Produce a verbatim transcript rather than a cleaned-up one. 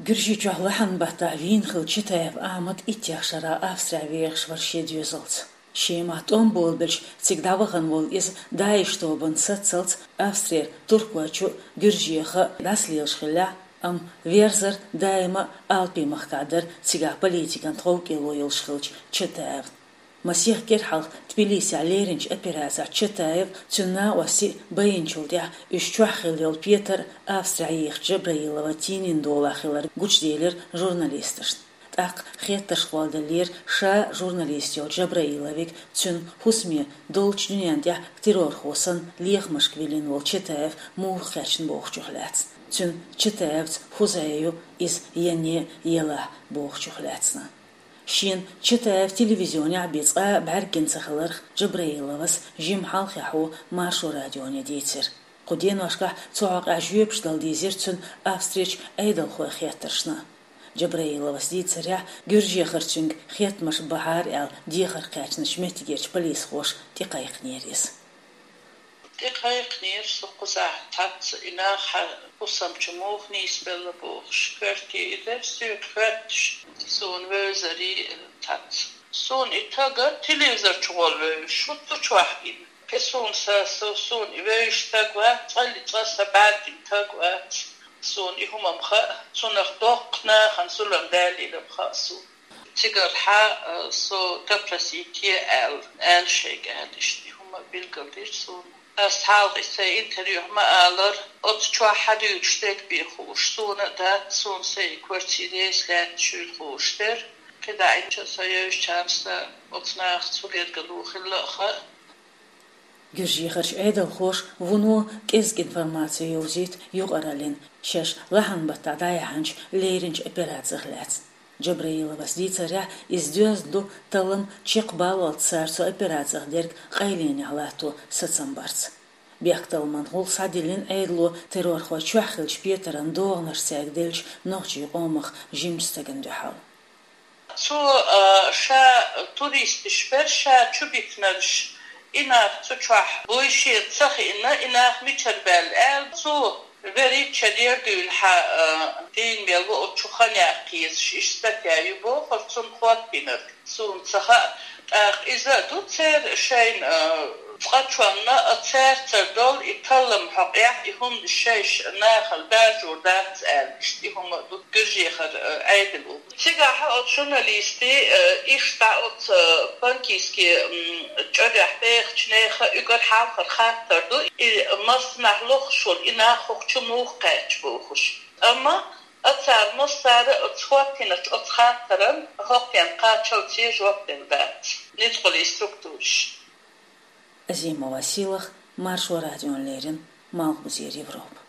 Гуьржийчохь лахьан баттахь вийна хилла Чатаев Ахьмад иттех шарахь Австрехь вехаш вара шен доьзалца. Шемахь тӀом болабелча, цига дӀавахана волу иза ДАИШ тобанан сацалц Австрера, Туркойчу, Гуьржеха дӀасалелаш хиллехь, амма верзар даима а Алпийн махкахь дара, цигахь политикан тховкӀело йолуш хиллачу Чатаевна. Масех кӀира хьалха Тбилисехь леринчу операцехь Чатаев, цуьнан накъостий а байинчул тӀаьхьа уьш чохь хилла йолу петар Австрехь йийхича Джабраилова тийнина долахь хилар гучуделира журналисташна. ТӀаккха хеттарш кхолладеллера ша журналист йолчу Джабраиловиг, цуьнан хӀусаме долчу дуьненна тӀехь террорхо санна лехамашка виллина волу Чатаев муха кхаьчна бохучух лаьцна. Цуьнан Чатаевца хӀусаме ю иза, ян елахь бохучух лаьцна. Шена Чатаев телевизионехь бен цкъа а бӀаьргина ца хиларх Джабраиловас жимма хьалххе Маршо радионе дийцира. Кху деношкахь цу хьокъехь жоьпаш дала дийзира цуьнан Австрерчу Ӏедалхойн хеттаршна. Джабраиловас дийцарехь, Гуьржехара цуьнга хеттамаш бахьара аьлла дехар кхаьчначу меттигерчу полисхоша тӀекхайкхинера иза. ТӀекхайкхинера со кхузахь цхьацца, и нах хьан хӀусам чу муха нийсбелла бохуш, коьрте и дара соьга хоьттуш, суна вевзарий цхьацца. Суна и тага телевизор чу гӀолвевзаш, хӀутту чохь гина. Кхин суна са, со, суна и вевзаш стаг вац, цкъа а, цкъа а сан бӀаьргина стаг вац. Суна и хӀума-м хаьа, цунах доккха нахана зулам далийна-м хаьа суна. Цигархьа, э, со допросить е аьлла, аьлла шайга аьлла, иштта и хӀума билгалдира суна. Ас хьалха и сайн интервьюхь ма аллара, оцу чохь хьадуьйцуш дерг бен хууш суна а дац, суна сайн квартира еса лаьтташ хуьлу хууш дара. КхидӀа и чу со йевзачарна сан оцу нахаца хӀун лергало хилла а хаьа. Гуьржехарчу Ӏедалхоша вуно кӀезиг информаци йовзуьйту юкъараллин шаьш лахьан баттахь дӀаяьхьначу леринчу операцих лаьцна. Джабраиловас дийцарехь, иза доьзна ду таллам чекхбаллалц цара цу операцих дерг къайленехь латто сацам барца. Бехкталламан гӀуллакх схьадиллина Ӏедало террорхой чохь хиллачу петаран догӀанаш цаьрга деллачу нохчийн къомах жимачу стагана дуьхьал. Цо, а, ша туристаш бара, ша чу битинарш, и нах цу чохь буй шена ца хиъна, и нах мичара баьлла аьлла, цо верриг чадер дуьйна хьан, а, дийна мел ву оцу чу хан яккха езаш, иштта статья ю бохура цунна хӀоттийнарг. Суна ца хаьа, тӀаккха иза а ду церан шайна, а, цкъачунна а цаьрца долу и таллам хьокъехь, и хӀуманаш шайша нахала даржор дац аьлла, иштта и хӀума а ду Гуьржехара, а, Ӏедало. Цигахь оцу журналистийн, э, иштта оцу, э, Панкисский, м, чӀорехь бехачу нехан уггар хьалхара хаттар ду, и массанхьа лохуш волу и нах хӀокху чу муха кхаьчна бохуш. Амма а цара массара а оцу хӀоттийначу оцу хаттаран хӀокхуьнан кхачалц жоп делла дац ницкъаллин структураш. Азимова Сийлаха, Маршо радиона леррина, Малхбузера Европа.